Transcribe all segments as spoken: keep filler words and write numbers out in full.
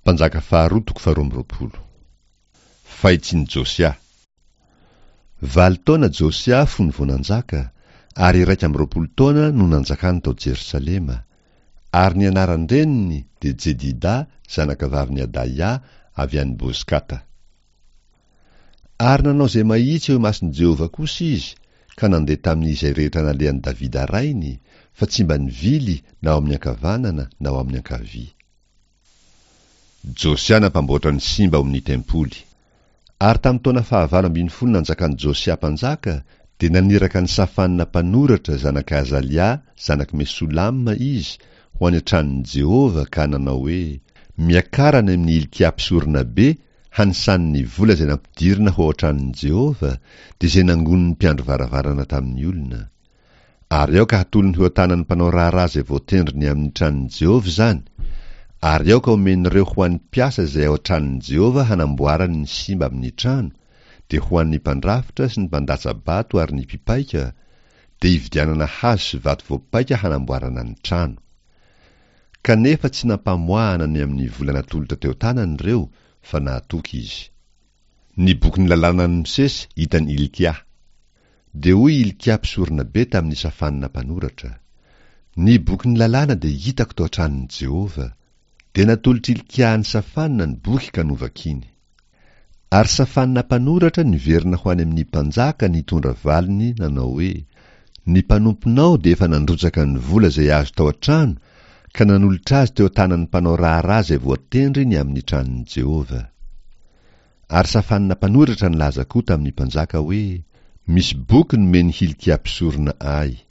Mpanjaka faharoa toko faharoa amby roapolo. Fahitsin'i Josia. Valo taona Josia fony vao nanjaka, ary iraika amby roapolo taona no nanjakany tao Jerosalema, ary ny anaran-dreniny dia Jedida zanakavavin'i Adaia avy any Bozkata. Ary nanao izay mahitsy eo imason'i Jehovah kosa izy, ka nandeha tamin'izay rehetra nalehan'i Davida rainy, fa tsy mba nivily na ho amin'ny ankavanana na ho amin'ny ankavia. Josia nampamboatra ny simba ao amin'ny tempoly. Ary tamin'ny taona fahavalo ambin'ny folo nanjakan'i Josia mpanjaka, dia naniraka an'i Safana mpanoratra zanak'i Azalia zanak'i Mesolama izy ho any an-tranon'i Jehovah ka nanao hoe, Miakara any amin'i Hilkia mpisoronabe hanisany ny vola izay nampidirina ho ao an-tranon'i Jehovah, dia izay nangonin'ny mpiandry varavarana tamin'ny olona. Ary aoka hatolony ho eo an-tanan'ny mpanao raharaha izay voatendry ny amin'ny tranon'i Jehovah izany, ary aoka homen'ireo ho an'ny mpiasa izay ao an-tranon'i Jehovah hanamboarany ny simba amin'ny trano, dia ho an'ny mpandrafitra sy ny mpandatsa-bato ary ny mpipaika, dia hividianana hazo sy vato voapaika hanamboarana ny trano. Kanefa tsy nampamoahana ny amin'ny vola natolotra teo an-tanany ireo, fa nahatoky izy. Ny bokin'ny lalànan'i Mosesy hitan'i Hilkia. Dia hoy Hilkia mpisoronabe tamin'i Safana mpanoratra, Ny bokin'ny lalàna dia hitako tao an-tranon'i Jehovah. Dia natolotr'i Hilkia an'i Safana ny boky ka novakiny. Ary Safana mpanoratra niverina ho any amin'ny mpanjaka nitondra valiny nanao hoe, Ny mpanomponao dia efa nandrotsaka ny vola izay azo tao an-trano ka nanolotra azy teo an-tanan'ny mpanao raharaha izay voatendry ny amin'ny tranon'i Jehovah. Ary Safana mpanoratra nilaza koa tamin'ny mpanjaka hoe, Misy boky nomen'i Hilkia mpisorona ahy.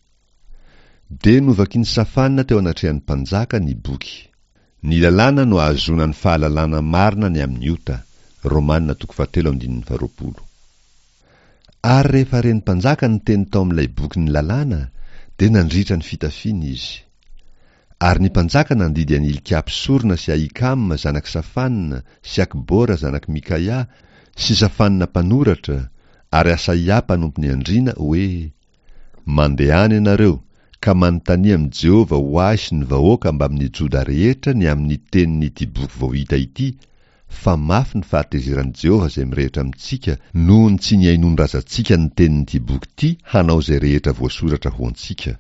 Dia novakin'i Safana teo anatrehan'ny mpanjaka ny boky. Ny lalàna no ahazoana ny fahalalana marina ny amin'ny ota, Romana toko fahatelo andininy faharoapolo. Ary rehefa ren'ny mpanjaka ny teny tao amin'ilay bokin'ny lalàna, dia nandritra ny fitafiany izy. Ary ny mpanjaka nandidy an'i Hilkia mpisorona sy Ahikama zanak'i Safana sy Akbora zanak'i Mikaia sy Safana mpanoratra ary Asaia mpanompon'ny andriana hoe, Mandehana ianareo, ka manontania amin'i Jehovah ho ahy sy ny vahoaka mbamin'ny Joda rehetra ny amin'ny tenin'ity boky vao hita ity, fa mafy ny fahatezeran'i Jehovah izay mirehitra amintsika noho ny tsy nihainoan'ny razantsika ny tenin'ity boky ity hanao izay rehetra voasoratra ho antsika.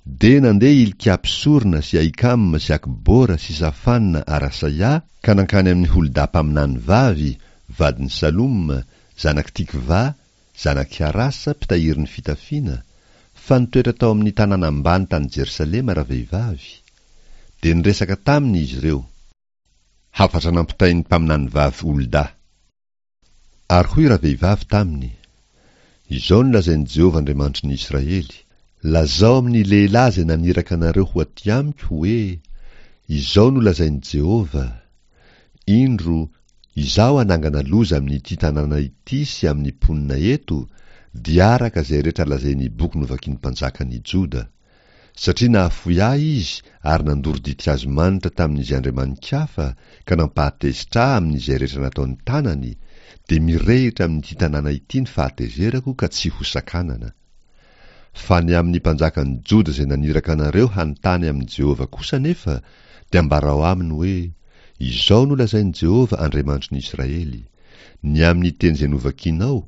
Dia nandeha Hilkia mpisorona sy Ahikama sy Akbora sy Safana ary Asaia ka nankany amin'i Holda mpaminany vavy, vadin'i Saloma, zanak'i Tikva, zanak'i Harasa, mpitahiry ny fitafiana, fa nitoetra tao amin'ny tanàna ambany tany Jerosalema ravehivavy. Dia niresaka taminy izy ireo. Hafatra nampitain'ny mpaminany vavy Holda. Ary hoy ravehivavy taminy, Izao no lazain'i Jehovah Andriamanitry ny Israely, Lazao amin'ny lehilahy izay naniraka anareo ho aty amiko hoe, Izao no lazain'i Jehovah, Indro, Izaho hanangana loza amin'ity tanàna ity sy amin'ny mponina eto, dia araka izay rehetra lazain'ny boky novakin'ny mpanjakan'i Joda. Satria nahafoy Ahy izy ary nandoro ditin-kazo manitra tamin'izay andriamani-kafa ka nampahatezitra Ahy amin'izay rehetra nataon'ny tanany, dia mirehitra amin'ity tanàna ity ny fahatezerako ka tsy hosakanana. Fa ny amin'ny mpanjakan'i Joda izay naniraka anareo hanontany amin'i Jehovah kosa anefa, dia ambarao aminy hoe, Izao no lazain'i Jehovah Andriamanitry ny Israely, Ny amin'ny teny izay novakinao,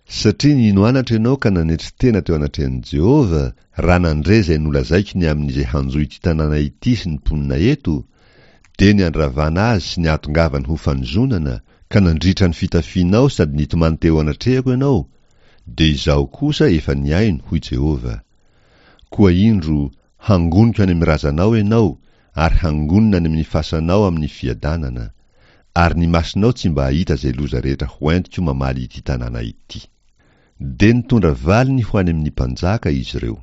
satria nino anatra ianao ka nanetry tena teo anatrehan'i Jehovah, raha nandre izay nolazaiko ny amin'izay hanjo ity tanàna ity sy ny mponina eto, dia ny handravana azy sy ny hahatongavany ho fanozonana, ka nandritra ny fitafianao sady nitomany teo anatrehako ianao, dia Izaho kosa efa nihaino, hoy Jehovah. Koa indro, hangoniko any amin'ny razanao ianao, ary hangonina any amin'ny fasanao amin'ny fiadanana, ary ny masonao tsy mba hahita izay loza rehetra hoentiko mamaly ity tanàna ity. Dia nitondra valiny ho any amin'ny mpanjaka izy ireo.